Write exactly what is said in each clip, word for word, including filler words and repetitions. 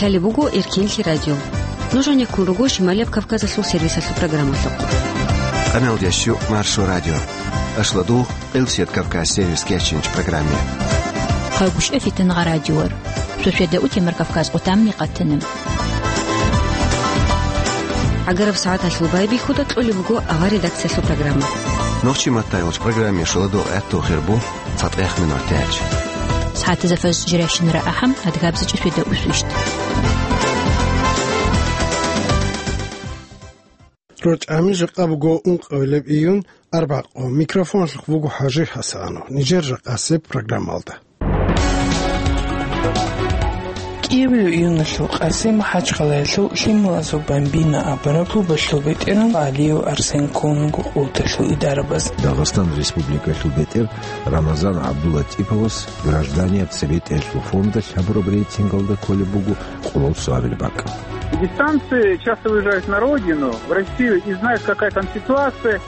Лъалеб буго Эркенлъи радио. Нуж гьанеккун руго Шималияб Кавказалъул сервисалъул программалъухъ. Къамел дящу Маршо радио. Ашладу Къилсият Кавказ сервис кечинч программе. Хъагушев Фитангъа радиор. Сосиада утемар Кавказ къутамни къатанам. ГӀагараб сагӀаталъул байбихьуда кьолеб буго авар редакциялъул программа. Нохчи маттайолч программе шуладу гӀатту хирбу цатӀех минутач. СагӀатазафаз жиращинара ахӀам адгабзачӀа сосиада усвищт. РочӀами жакъа буго ункъавилеб июнь, арбакъо. Микрофонлъухъ буго ХӀажи ХӀасанов. Нижер жакъасеб программалда. Киевлу июналъул къаси МахӀачхъалаялъул лъималазул Бамбино абураб клубалъул бетӀеран Алиев Арсен ккун вуго къулталъул идарабаз. Дагъистан Республикалъул бетӀер Рамазан ГӀабдулатӀиповас граждане цебетӀералъул фондалъ гьабураб рейтингалда кколеб буго къоло цоабилеб бакӀ. Дистанции часто выезжают на родину, в Россию, и знают, какая там ситуация.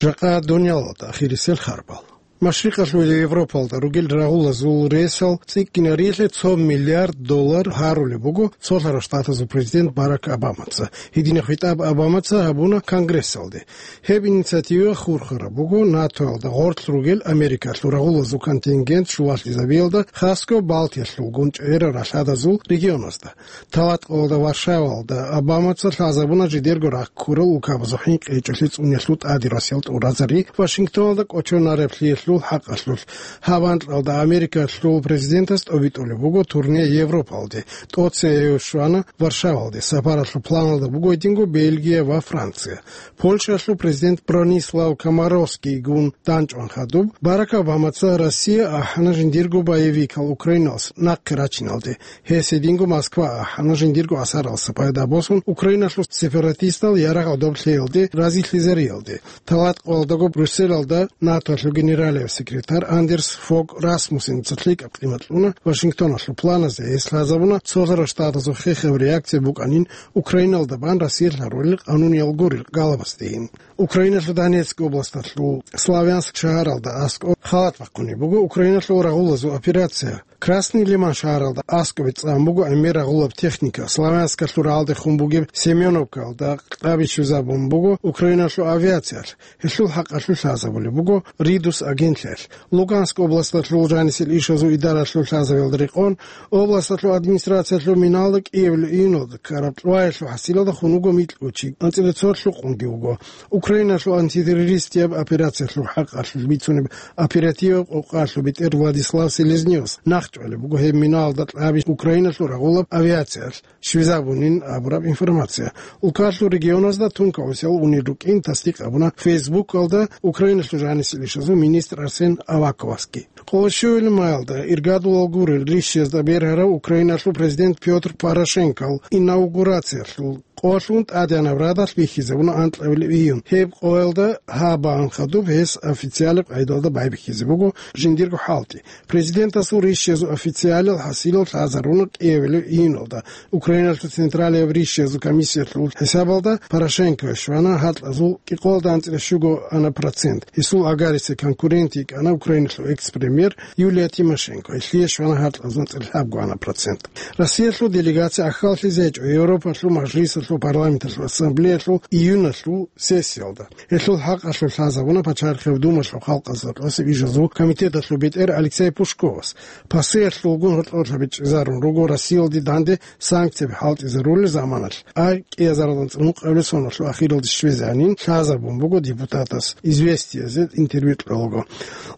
Жакъа дуниялалда ахирисел харбал. Машрикъалъул Европалда ругел рагъулазул ресал цӀикӀкӀинарилъе цо миллиард доллар гьарулеб буго Цолъарал Штатазул президент Барак Обамаца. Гьединаб хитӀаб Обамаца гьабуна Конгрессалде. Гьеб инициатива хурхараб буго НАТОялда гъорлъ ругел Америкалъул рагъулазул контингент щулалъизабиялда, хасго Балтиялъулгун чӀегӀерал ралъадазул регионазда. Талаткъалда Варшавалда Обамаца лъазабуна жидерго рахъ ккурал улкабазул хӀинкъи гьечӀолъи цӀуниялъул тӀаде росел тӀуразари Вашингтоналда кӀочонареблъиялъул хӀакъалъулъ. Гьаб анкьалда Америкалъул президентас тӀобитӀулеб буго турне Европалде. ТӀоцебе гьев щвана Варшавалде. Сапаралъул планалда буго гьединго Бельгия ва Франция. Польшалъул президент Бронислав Комаровскийгун данчӀван хадуб, Барак Обамаца Россия ахӀана жиндирго боевикал Украиналъ нахъе рачиналде. Гьес гьединго Москва ахӀана жиндирго асаралъа пайда босун Украиналъул сепаратистал ярагъ гӀодоб лъеялде разилъизариялде. Талаткъалдаго Брюсселалда НАТОлъул генералияб секретарь Андерс Фог Расмуссеница лъикӀаб къимат кьуна Вашингтоналъул планазе. Гьес лъазабуна Цолъарал Штатазул хехаб реакция букӀанин Украиналда бан Россиялъ гьарулел къануниял гурел галабасдейин. Украиналъул Донецк областалъул Славянск шагьаралда аскӀоб халат бахъунеб буго Украиналъул рагъулазул операция. Красный Лиман шагьаралда аскӀобе цӀан буго гӀемер рагъулаб техника. Славянскалъул рагӀалдехун бугеб Семеновкалда кьаби щвезабун буго Украиналъул авиациялъ. Гьелъул хӀакъалъулъ лъазабулеб буго Ридус агентлъиялъ. Луганск областалъул жанисел ишазул идаралъул лъазабиялда рекъон, областалъул администрациялъул миналда Киевлъул июналда ккараб кьваялъул хӀасилалда хун вуго микьго чи, анцӀила цо лъукъунги вуго. Украиналъул антитеррористияб операциялъул хӀакъалъулъ бицунеб оперативаб къокъалъул бетӀер Владислав Селезнёвас нахъчӀвалеб буго гьеб миналда кьаби Украиналъул рагъулаб авиациялъ щвезабунин абураб информация. Улкалъул регионазда тункаусиял унел рукӀин тасдикъ гьабуна Фейсбукалда Украиналъул жанисел ишазул министр Арсен Аваковасги. Къоло щуабилеб маялда иргадулал гурел рищиязда бергьарав Украиналъул президент Пётр Порошенкол инаугурациялъул къоялъул тӀадегӀанаб радалъ бихьизабуна анкьабилеб июнь. Гьеб къоялда гьабаан хадуб гьес официалаб къайдалда байбихьизе буго жиндирго хӀалтӀи. Президентасул рищиязул официалил хӀасилал лъазаруна Киевлъул июналда. Украиналъул централияб рищиязул комиссиялъул хӀисабалда Порошенко щвана гьаркьазул кӀикъоялда анцӀила щуго ана процент. Гьесул агарисел конкурент йикӀана Украиналъул экс-премьер Юлия Тимошенко, гьелъие щвана гьаркьазул анцӀила лъабго ана процент. Россиялъул делегация ахьаллъизе гьечӀо Европалъул Мажлисалъул Парламенталъул Ассамблеялъул июналъул сессиялда. Гьелъул хӀакъалъулъ лъазабуна Пачарихъев Думалъул халкъазда тӀасеб ишазул комитеталъул бетӀер Алексей Пушковас. Пасиялъулгун гьоркьорлъа бичӀчӀизарун руго Россиялде данде санкцияби хӀалтӀизарулел заманалъ, а кӀиазаралда анцӀила ункъабилеб соналъул ахиралде щвезегӀанин лъазабун буго депутатас «Известиязе» интервью кьолаго.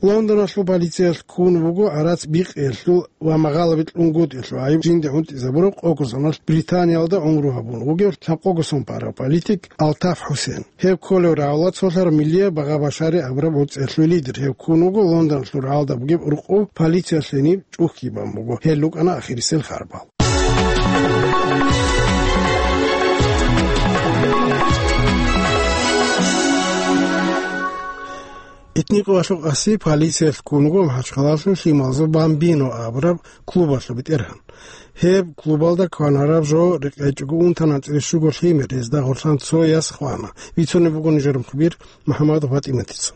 Лондоналъул полициялъ ккун вуго гӀарац бикъиялъул ва магъалаби кьунгутӀиялъул гӀайиб жинде гӀунтӀизабурав къого соналъ Британиялда гӀумру гьабун вугев лъабкъого сон парав политик Алтаф ХӀусен. Гьев кколев рагӀула цолъараб миллияб Багъа Башари абураб гӀуцӀиялъул лидер. Гьев ккун вуго Лондоналъул рагӀалда бугеб рукъу полициялъ гьениб чӀухӀги бан буго. Гьел рукӀана ахирисел харбал. Итни къоялъул къаси полициялъ ккун вуго МахӀачхъалалъул лъималазул Бамбино абураб клубалъул бетӀергьан. Гьеб клубалда кванараб жо рекъечӀого унтан анцӀила щуго лъимер, гьезда гъорлъан цо яс хвана. Бицунеб буго нижер мухбир МухӀаммадов ПатӀиматица.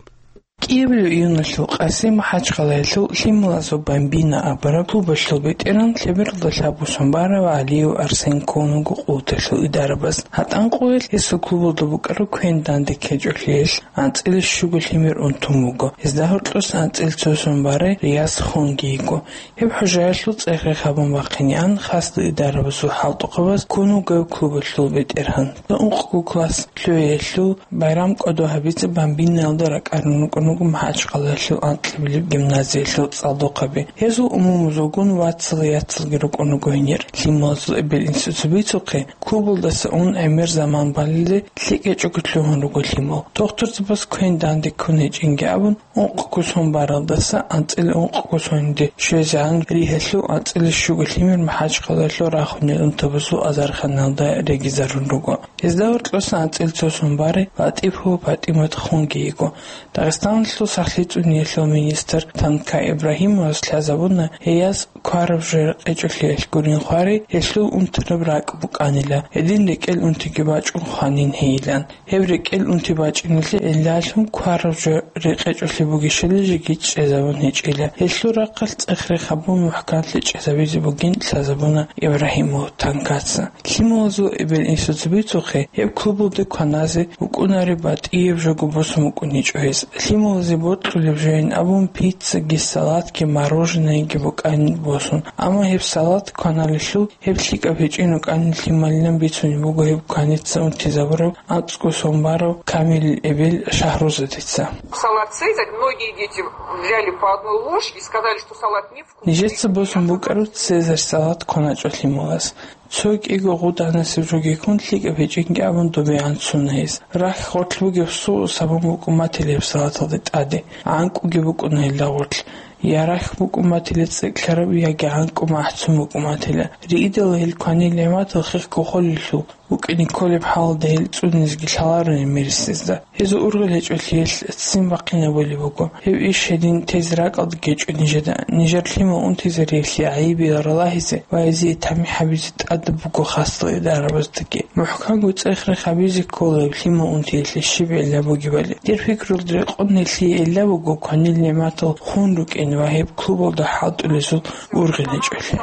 Киевалъул июналъул къаси МахӀачхъалаялъул Лъималазул «Бамбина» абураб клубалъул ветеран, лъебералда лъабго сон барав ГӀалиев Арсен ккун вуго къуваталъул идарабаз. ГьатӀан къоялъ гьесул клубалда букӀараб квен данде ккечӀолъиялъ анцӀила щуго лъимер унтун буго. Гьезда гьоркьоса анцӀила цо сон барай Рияз хунги йиго. Гьеб хӀужаялъул цӀех-рех гьабун бахъинегӀан, хасго идарабазул хӀалтӀухъабаз ккун вуго гьеб клубалъул ветеран. Ункъго класс лъугӀиялъул байрам кӀодо гьабизе «Бамбинаялда» ракӀарун рукӀун руго МахӀачхъалаялъул анкьабилеб гимназиялъул цӀалдохъаби. Гьезул умумузулгун вацал-яцалги рукӀун руго гьенир. Лъималазул эбел-инсуца бицухъе, клубалдаса ун гӀемер заман балелде лъикӀ гьечӀого лъугьун руго Лъимал. Дохтурзабаз квен данде ккун гьечӀинги абун, ункъго сон баралдаса анцӀила ункъго сонде щвезегӀан ригьалъул анцӀила щуго лъимер МахӀачхъалаялъул рахунел унтабазул азарханалда регизарун руго. Гьезда гьоркьоса анцӀила цо сон барай ЛатӀипова ПатӀимат хунги йиго. Дагъистаналъул сахлъи цӀуниялъул министр Танка Ибрагьимовас лъазабуна, гьей яс квараб жо рекъечӀолъиялъ гурин хварай, гьелъул унтараб ракӀ букӀанила, гьедин рекӀел унтиги бачӀун хванин гьейилан. Гьеб рекӀел унти бачӀиналъе гӀиллалъун квараб жо рекъечӀолъи бугищали жеги чӀезабун гьечӀила. Гьелъул рахъалъ цӀех-рех гьабун мухӀканлъи чӀезабизе бугин лъазабуна Ибрагьимов Танкаца. Лъималазул эбел-инсуца бицухъе, гьеб клубалде кваназе букӀунареб батӀияб жого босун букӀуничӀо гьез. Лъималазе бокьулеб жойин абун пиццаги, салатги, мороженойги букӀанин босун. Амма гьеб салат кваналелъул гьеб лъикӀаб гьечӀин рукӀанин лъималилан бицунеб буго гьеб кваница унтизабурав анцӀго сон барав Камилил эбел Шагьрузадица. Салат Цезарь, многие дети взяли по одной ложке и сказали, что салат невкусный. Нижеца босун букӀараб Цезарь салат кваначӀо Лъималас. Цо кӀиго гъуданасеб жогиккун лъикӀаб гьечӀинги абун добегӀан цуна гьес. Рахь гъорлъ бугеб соус гьабун букӀун батила гьеб салаталде тӀаде. ГӀанкӀуги букӀуна гьелда гъорлъ. Я рахь букӀун батила цӀикӀкӀараб, яги гӀанкӀу махӀцун букӀун батила. Риидала гьел кванил нигӀматал хехго холелъул букӀине кколеб хӀалалда гьел цӀунизеги лъаларони мерисезда. Гьезул ургъел гьечӀолъиялъ ццин бахъинабулеб буго. Гьеб иш гьедин тезе ракӀалда гьечӀо нижеда. Нижер лъимал унтизариялъе гӀайибиял ралагьизе ва гьезие тамихӀ гьабизе тӀадаб буго хасал идарабаздаги. МухӀканго цӀех-рех гьабизе ккола гьеб лъимал унтиялъе щиб гӀилла бугебали. Дир пикруялда рекъон гьелъие гӀилла буго кванил нигӀматал хун рукӀин ва гьеб клубалда хӀалтӀулезул ургъел гьечӀолъи.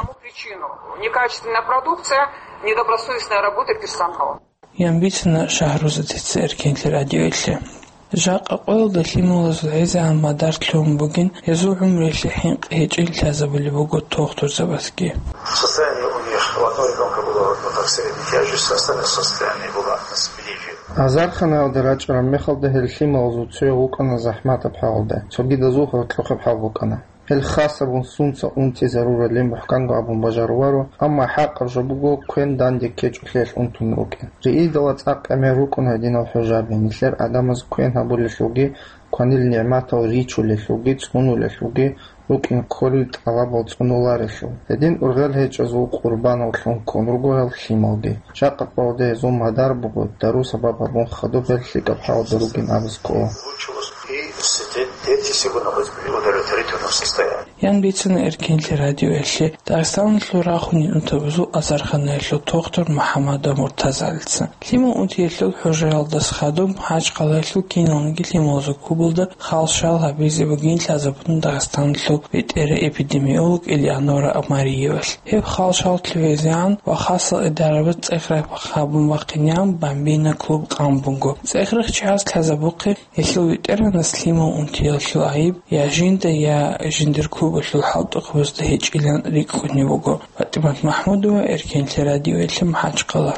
Некачественная продукция, недобросовестная работа персонала. Ян бицана Шагьрузадица Эркенлъи радиоялъе. Жакъа къоялда лъималазул гӀезегӀан мадар лъугьун бугин, гьезул гӀумруялъе хӀинкъи гьечӀин лъазабулеб буго тохтурзабазги. Состояние у них, у одного ребёнка было вот так средней тяжести, остальное состояние было на спиде. Азарханаялда рачӀараб мехалда гьел лъималазул цояв вукӀана захӀматаб хӀалалда, цогидазул гьоркьохъеб хӀал букӀана. Гьел хасабун сунца унти заруралин мухӀканго абун бажаруларо, амма хӀакъаб жо буго квен данде ккечӀолъиялъ унтун рукӀин. Риидала цӀакъ гӀемер рукӀун гьединал хӀужаби, нилъер гӀадамаз квен гьабулелъулги, кванил нигӀматал ричулелъулги, цӀунулелъулги, рукӀин кколел тӀалабал цӀунуларелъул. Гьедин ургъел гьечӀезул къурбанав лъун ккун руго гьел лъималги. Жакъа къоялда гьезул мадар буго, дару сабаб гьабун хадуб гьел лъикӀаб хӀалалда ругин абизе ккола. И дети сегодня хоть в удовлетворительном состоянии. Ян бицана Эркенлъи радиоялъе Дагъистаналъул рахунел унтабазул азарханаялъул тохтур МухӀаммадов Муртазалица. Лъимал унтиялъул хӀужаялдаса хадуб МахӀачхъалаялъул киналниги лъималазул клубалда халшал гьабизе бугин лъазабуна Дагъистаналъул бетӀера эпидемиолог Элеонора Амариевалъ. Гьеб халшал лъугӀизегӀан ва хасал идарабаз цӀех-рех гьабун бахъинегӀан «Бамбина» клуб къан буго. ЦӀех-рех чияс лъазабухъе, гьелъул ветеранас лъимал унтиялъул гӀайиб я жинда, я жиндир клубалъул хӀалтӀухъабазда гьечӀилан рикӀкӀунеб буго. ПатӀимат МахӀмудова, Эркенлъи радиоялъе, МахӀачхъала.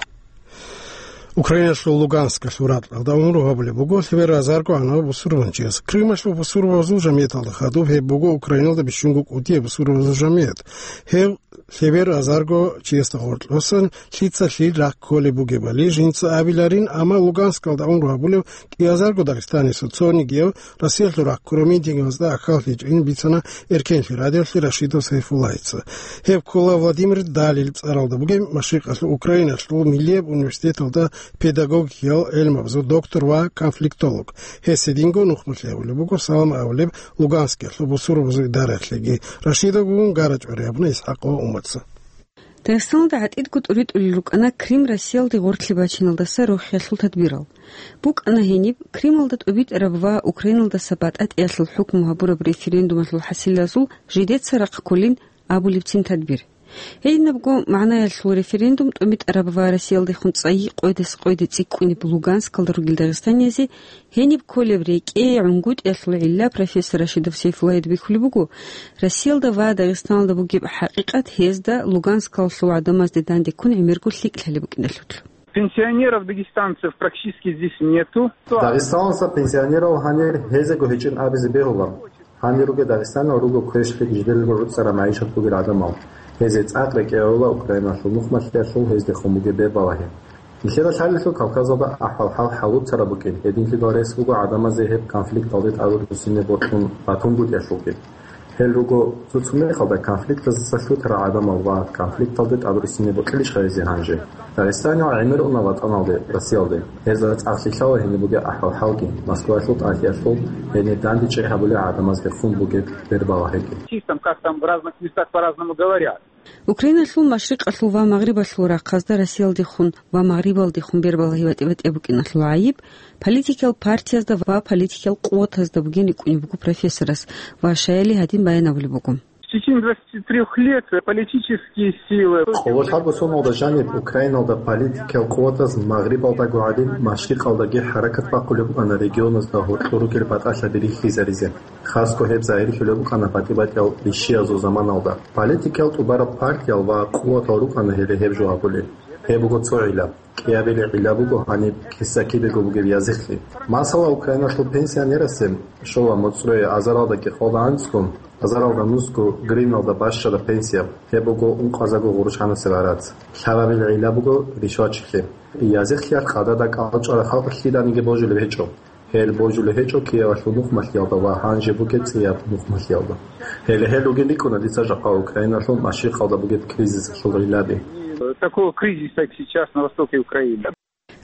Украиналъул Луганскалъул ракьалда унру гьабулеб буго лъебераб азарго гӀанаб бусурбанчияс. Крымалъул бусурбабазул жамияталда хадуб гьеб буго Украиналда бищунго кӀудияб бусурбабазул жамият. Гьеб лъебераб азарго чиясда гъоркьосан лъица лъил рахъ кколеб бугебали жинца абиларин, амма Луганскалда унру гьабулев кӀиазарго дагъистанисев цонигияв Россиялъул рахъ ккурав митингазда ахӀаллъичӀин бицана Эркенлъи радиоялъе Рашидов Сайфуллагьица. Гьеб ккола Владимир Далил цӀаралда бугеб машрикъалъул Украиналъул миллияб университеталда педагогикиял гӀелмабазул доктор ва конфликтолог. Гьес гьединго нухмулъи гьабулеб буго салам абулеб Луганскиялъул бусурбабазул идараялъеги. Рашидовгун гарачӀвари гьабуна ИсхӀакъ ва Умарца. Дагъистаналда гӀатӀидго тӀуритӀулел рукӀана Крым Россиялде гъорлъе бачиналдаса рохиялъул тадбирал. БукӀана гьениб Крымалда тӀубитӀараб ва Украиналдаса батӀатӀиялъул хӀукму гьабураб референдумалъул хӀасилазул жидеца рахъ кколин абулебцин тадбир. Гьединабго магӀнаялъул референдум тӀубитӀараб ва Россиялдехун цӀайи къойдас къойде цӀикӀкӀунеб Луганскалда ругел дагъистаниязе гьениб кколеб рекӀее гӀунгутӀиялъул гӀилла профессор Рашидов Сейфуллагьида бихьулеб буго, Россиялда ва Дагъистаналда бугеб хӀакъикъат гьезда Луганскалъул гӀадамазде данде ккун гӀемерго лъикӀлъи гьалеб букӀиналъулъ. Пенсионеров дагестанцев практически здесь нету. Дагъистаналдаса пенсионерал гьанир гьезего гьечӀин абизе бегьула. Гьанир ругел дагъистанал руго квешлъи жидерго руцӀцӀараб магӀишат бугел гӀадамал. Гьезие цӀакъ рекӀее гӀола Украиналъул нухмалъиялъул гьездехун бугеб бербалагьи. Нилъеда лъалелъул Кавказалда ахӀвал-хӀал хӀалуцараб букӀин, гьединлъидал рес буго гӀадамазе гьеб конфликталде тӀадвуссине бокьун батунгутӀиялъулги. Гьел руго цо-цо мехалда конфликтаздаса лъутарал гӀадамал ва конфликталде тӀадвуссине бокьилищха гьезие гьанже? Дагъистаниял гӀемер уна ватӀаналде, Россиялде. Гьезда цӀакъ лъаларо гьениб бугеб ахӀвал-хӀалги, Москваялъул тӀалъиялъул гьенир данде чӀей гьабулел гӀадамазде хун бугеб бербалагьиги. Чистом, как там в разных местах по-разному говорят. Украиналъул машрикъалъул ва магърибалъул рахъазда Россиялдехун ва магърибалдехун бербалагьи батӀи-батӀияб букӀиналъул гӀайиб политикиял партиязда ва политикиял къуватазда бугин рикӀкӀунеб буго профессорас ва щаяли гьадин баян абулеб буго. В течение двадцати трёх лет политические силы. Къоло лъабго соналда жаниб Украиналда политикиял къуватаз магърибалдаго гӀадин, машрикъалдаги хӀаракат бахъулеб букӀана регионазда гьоркьор ругел батӀалъаби рихьизаризе. Хасго гьеб загьирлъулеб букӀана батӀи-батӀиял ришиязул заманалда. Политикиял тӀубараб партиял ва къуватал рукӀана гьеле гьеб жо гьабулел. Гьеб буго цо гӀилла. КӀиабилеб гӀилла буго гьаниб киса-кибего бугеб язихълъи. Масала, Украиналъул пенсионерасе щола моцӀрое азаралда кӀикъоялда анцӀго, азаралда нусго гривналда бащараб пенсия, гьеб буго ункъазарго гъурущ гьанасеб гӀарац. Лъабабилеб гӀилла буго ришвачилъи. Язихълъиялъ къадада кӀалчӀвараб халкъ лъиданиги божулеб гьечӀо. Гьел божулеб гьечӀо киявалъул нухмалъиялда ва гьанже бугеб цӀияб нухмалъиялда. Гьеле гьел ругин рикӀкӀуна дица жакъа Украиналъул машрикъалда бугеб кризисалъул гӀиллаби. Такого кризиса, как сейчас на востоке Украины.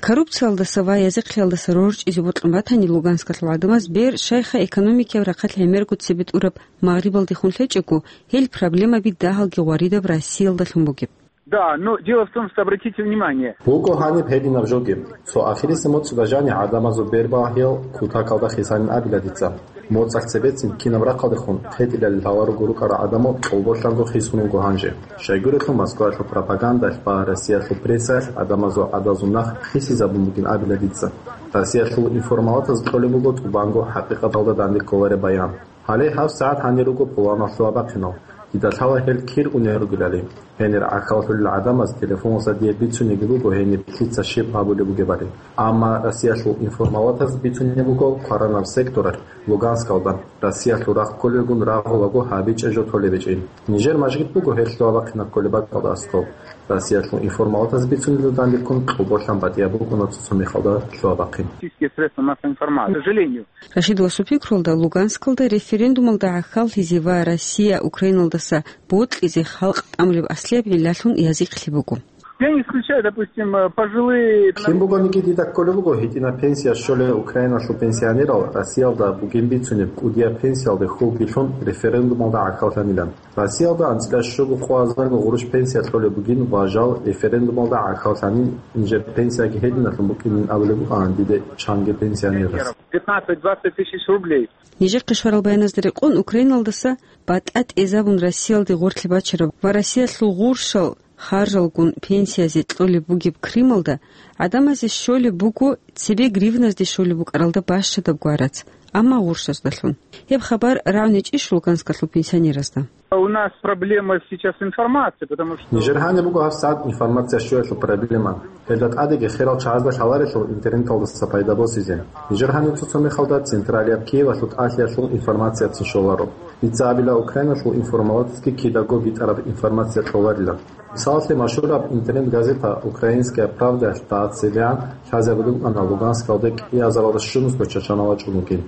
Коррупциялдаса ва язихълъиялдаса рорчӀизе бокьун батани, Луганскалъул гӀадамаз бер щайха экономикияб рахъалъ гӀемерго цебе тӀураб магърибалдехун лъечӀого, гьел проблемаби дагьалги гъваридаб Россиялдалъун бугеб. Да, но дело в том, что, обратите внимание. Буго гьаниб гьединаб жоги. Цо ахирисеб моцӀалда жаниб гӀадамазул бербалагьиял кутакалда хисанин абила дица. МоцӀалъ цебецин кинаб рахъалдехун хӀетӀилел лъаларого рукӀарал гӀадамал кьолболъанго хисун руго гьанже. Щайгурелъул Москваялъул пропагандалъ ва Россиялъул прессаялъ гӀадамазул гӀадазул нах хисизабун бугин абила дица. Россиялъул информалатаз кьолеб буго тӀубанго хӀакъикъаталда данде кколареб баян. Гьале гьабсагӀат гьанир руго пуланав лъугьа-бахъинал. Дида лъала гьел кир унел ругелали. Гьенир гӀахьаллъулел гӀадамаз телефоналъа дие бицунеги буго гьениб лъица щиб гьабулеб бугебали. Амма Россиялъул информалатаз бицунеб буго кваранаб секторалъ Луганскалда Россиялъул рахъ кколелгун рагъулаго гьабичӀеб жо толеб гьечӀин. Нижер мажгит буго гьел лъугьа-бахъинаб кколеб бакӀалда аскӀоб. Россиялъул информалатаз бицунелда данделккун кьолболъан батӀияб букӀуна цо-цо мехалда лъугьа-бахъин. Российские средства массовой информации, к сожалению. Рашидовасул пикруялда, Луганскалда референдумалда гӀахьаллъизе ва Россия Украиналдаса бокьизе халкъ тӀамулеб аслияб гӀиллалъун язихълъи буго. Я не исключаю, допустим, э, пожилые. Кин бугониги дида кколеб буго гьитӀинаб пенсия щолел Украиналъул пенсионерал Россиялда бугин бицунеб кӀудияб пенсиялде хьулбилъун референдумалда гӀахьаллъанилан. Россиялда анцӀила щуго къо азарго гъурущ пенсия кьолеб бугин ва жал референдумалда гӀахьаллъанин, нижер пенсияги гьединалъун букӀинин абулеб букӀана диде чанги пенсионерас. Пятнадцать-двадцать тысяч рублей. Нижехъе щварал баяназда рекъон, Украиналдаса батӀа тӀезабун Россиялде гъорлъе бачараб ва Россиялъул гъурщал харжалгун пенсиязе кьолеб бугеб Крымалда гӀадамазе щолеб буго цебе гривназде щолеб букӀаралда бащадаб гварац, амма гъурщаздалъун. Гьеб хабар рагӀунечӀищ Луганскалъул пенсионеразда? У нас проблема сейчас информации, потому что. Нижер гьаниб буго гьабсагӀат информация щоялъул проблема. Гьелда тӀадеги херал чагӀазда лъаларелъул интернеталдаса пайда босизе. Нижер гьаниб цо-цо мехалда централияб Киевалъул тӀалъиялъул информацияцин щоларо. Дица абила, Украиналъул информалатазги кидаго битӀараб информация кьоларила. Мисалалъе, машгьураб интернет-газета «Украинская правда»ялъ дагьаб цебегӀан лъазабулеб букӀана Луганскалде кӀиазаралда щунусго чачанал вачӀун вугин.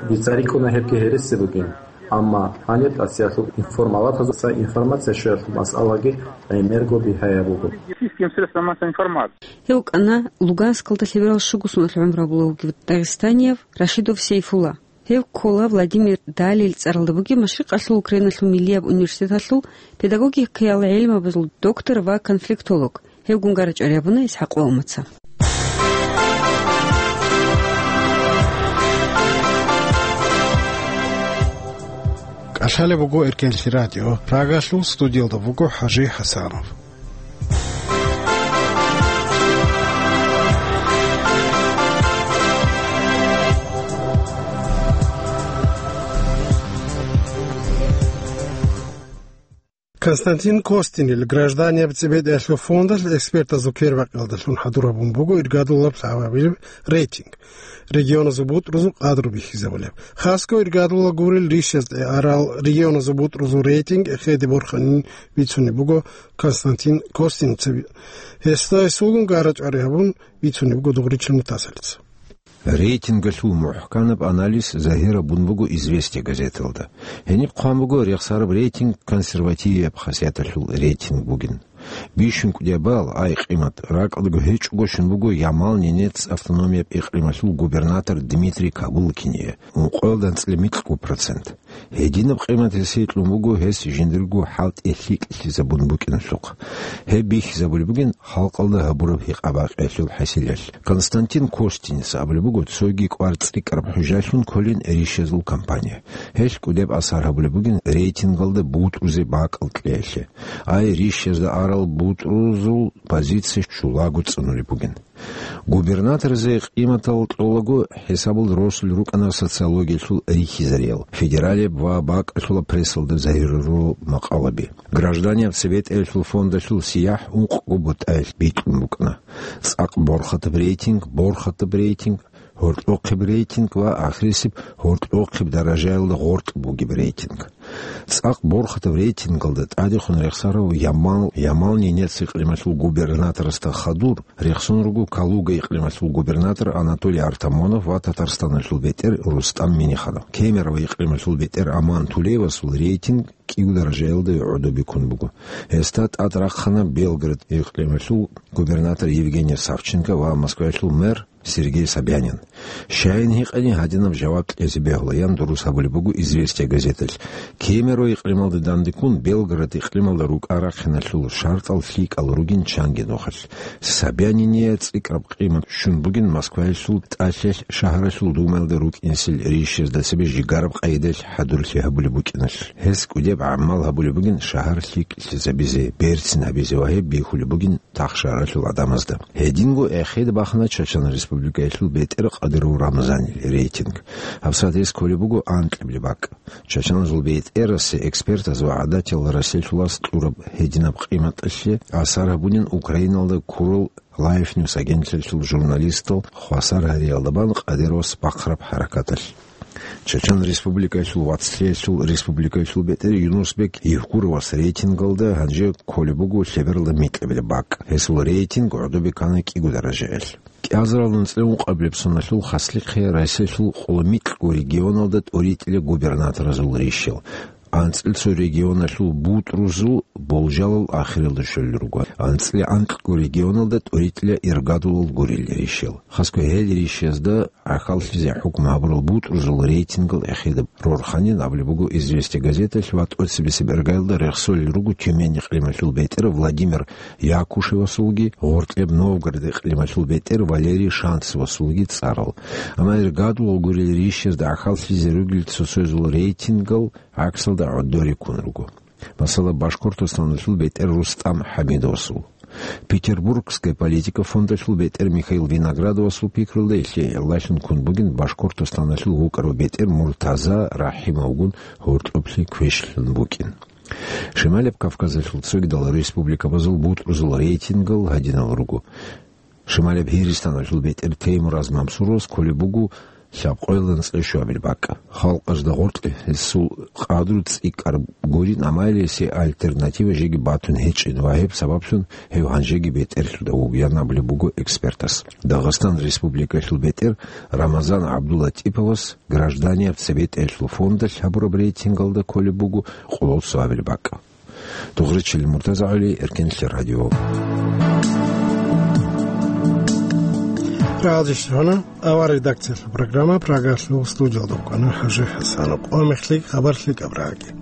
Дица рикӀкӀуна гьебги гьереси бугин. Амма гьаниб Россиялъул информалатазул цо информация щоялъул масъалаги гӀемерго бигьаяб буго. Российским средствам массовой информации. Гьев вукӀана Луганскалда лъеберал щуго соналъ гӀумру гьабулев вугев дагъистанияв Рашидов Сейфулла. Гьев ккола Владимир Далил цӀаралда бугеб Машрикъалъул Украиналъул миллияб университеталъул педагогикаял гӀелмабазул доктор ва конфликтолог. Гьевгун гара-чӀвари гьабуна ИсхӀакъ Ваумаца. КӀалъалеб буго Эркенлъи радио. Прагалъул студиялда буго ХӀажи ХӀасанов. Константин Костинил гражданияб цебетӀеялъул фондалъ экспертазул квербакъиялдалъун хӀадур гьабун буго иргадулаб лъабабилеб рейтинг, регионазул бутӀрузул къадру бихьизабулеб. Хасго иргадула гурел ришазде арал регионазул бутӀрузул рейтинг эхеде борханин бицунеб буго Константин Костинцев. Гьесда гьесулгун гара-чӀвари гьабун бицунеб буго Дугъричил Мутасалица. Рейтингалъул мухӀканаб анализ загьир гьабун буго «Известия» газеталда. Гьениб хъван буго рехсараб рейтинг консервативияб хасияталъул рейтинг бугин. Бищун кӀудияб балл, ай къимат, ракӀалдаго гьечӀого щун буго Ямал-Ненец автономияб икълималъул губернатор Дмитрий Кабулкине, ункъоялда анцӀила микьго процент. Гьединаб къимат гьесие кьун буго гьес жиндирго хӀалтӀи лъикӀлъизабун букӀиналъухъ. Гьеб бихьизабулеб бугин халкъалда гьабураб гьикъа-бакъиялъул хӀасилалъ. Константин Костинец абулеб буго, цоги кӀвар цӀикӀкӀараб хӀужалъун кколин ришазул кампания. Гьелъ кӀудеб асар гьабулеб бугин рейтингалда бутӀрузе бакӀал кьеялъе. Ай, ришазда арал бутӀрузул позиция чулаго цӀунулеб бугин. Губернаторазе къиматал кьолаго хӀисабалда росулел рукӀана социологиялъул рихьизариял, федералияб ва бакӀалъулаб прессалда загьирарурал макъалаби. Гражданияб цебетӀеялъул фондалъул сияхӀ ункъго бутӀаялъ бикьун букӀана: цӀакъ борхатаб рейтинг, борхатаб рейтинг, гьоркьохъеб рейтинг ва ахирисеб гьоркьохъеб даражаялда гъоркь бугеб рейтинг. ЦӀакъ борхатаб рейтингалда тӀадехун рехсарав Ямал, Ямал-Ненец икълималъул губернаторасда хадур рехсон руго Калуга икълималъул губернатор Анатолий Артамонов ва Татарстаналъул бетӀер Рустам Минниханов. Кемерово икълималъул бетӀер Аман Тулеевасул рейтинг кӀиго даражаялда гӀодобе ккун буго. Гьесда тӀад рахъана Белгород икълималъул губернатор Евгений Савченко ва Москваялъул мэр Сергей Собянин. Щайин гьикъани, гьадинаб жаваб кьезе бегьулаян дурус гьабулеб буго «Известия» газеталъ. Кемерово икълималда дандеккун, Белгород икълималда рукӀа-рахъиналъул шартӀал лъикӀал ругин чанги нухалъ. Собянине цӀикӀкӀараб къимат щун бугин Москваялъул ТӀалъал шагьаралъул Думаялда рукӀинсел ришазда цебе жигараб къайдалъ хӀадурлъи гьабулеб букӀиналъ. Гьес кӀудеб гӀамал гьабулеб бугин шагьар лъикӀлъизабизе, берцин гьабизе ва гьеб бихьулеб бугин тахшаралъул гӀадамазда. Гьединго эхеде бахана Чачан Республикаялъул бетӀер Къадиров Рамзанил рейтинг. ГьабсагӀат гьес кколеб буго анкьабилеб бакӀ. Чачаназул бетӀерасе экспертаз ва гӀадатиял Россиялъулас кьураб гьединаб къиматалъе асар гьабунин Украиналда ккурал Life News агентлъиялъул журналистал хвасар гьариялда бан Къадировас бахъараб хӀаракаталъ. Чачан Республикаялъул вацлъиялъул республикаялъул бетӀер Юнусбек Евкуровас рейтингалда гьанже кколеб буго лъебералда микьабилеб бакӀ. Гьесул рейтинг гӀодобе ккана кӀиго даражаялъ. КӀиазаралда анцӀила ункъабилеб соналъул хаслихъе Россиялъул къоло микьго регионалда тӀоритӀила губернаторазул ришал. АнцӀила цо регионалъул бутӀрузул болжалал ахиралда щолел руго. АнцӀила анкьго регионалда тӀоритӀила иргадулал гурел ришал. Хасго гьел ришазда гӀахьаллъизе хӀукму гьабурал бутӀрузул рейтингал эхеде рорханин абулеб буго «Известия» газеталъ ва тӀоцебесеб иргаялда рехсолел руго Тюмень икълималъул бетӀер Владимир Якушевасулги, гъоркьеб Новгород икълималъул бетӀер Валерий Шанцевасулги цӀарал. Амма иргадулал гурел ришазда гӀахьаллъизе ругел цо-цоязул рейтингал гӀаксалда гӀодоре ккун руго. Масала, Башкортостаналъул бетӀер Рустам ХӀамидовасул. Петербургская политика фондалъул бетӀер Михаил Виноградовасул пикрулда, илъе гӀиллалъун ккун бугин Башкортостаналъул вукӀарав бетӀер Муртаза РахӀимовгун гьоркьоблъи квешлъун букӀин. Шималаб Кавказалъул цогидал республикабазул бутӀрузул рейтингал гьадинал руго. Шималаб Гьиристаналъул бетӀер Теймураз Мамсуровас кколеб буго лъабкъоялда анцӀила щуабилеб бакӀ. Халкъалда гъоркье гьесул къадру цӀикӀкӀараб гурин, амма гьелъие альтернатива жеги батун гьечӀин ва гьеб сабаблъун гьев гьанжеги бетӀерлъуда вугилан абулеб буго экспертас. Дагъистан Республикалъул бетӀер Рамазан ГӀабдуллатиповас гражданияб цебетӀеялъул фондалъ гьабураб рейтингалда кколеб буго къоло цоабилеб бакӀ. Дугъричил МуртазагӀали, Эркенлъи радио. Хъалжищ гьана, ава редакциялъул программа Прагалъул студиялда вукӀана ХӀажи ХӀасанов. Ва мехлъи хабар лъикӀаб рагӀаги.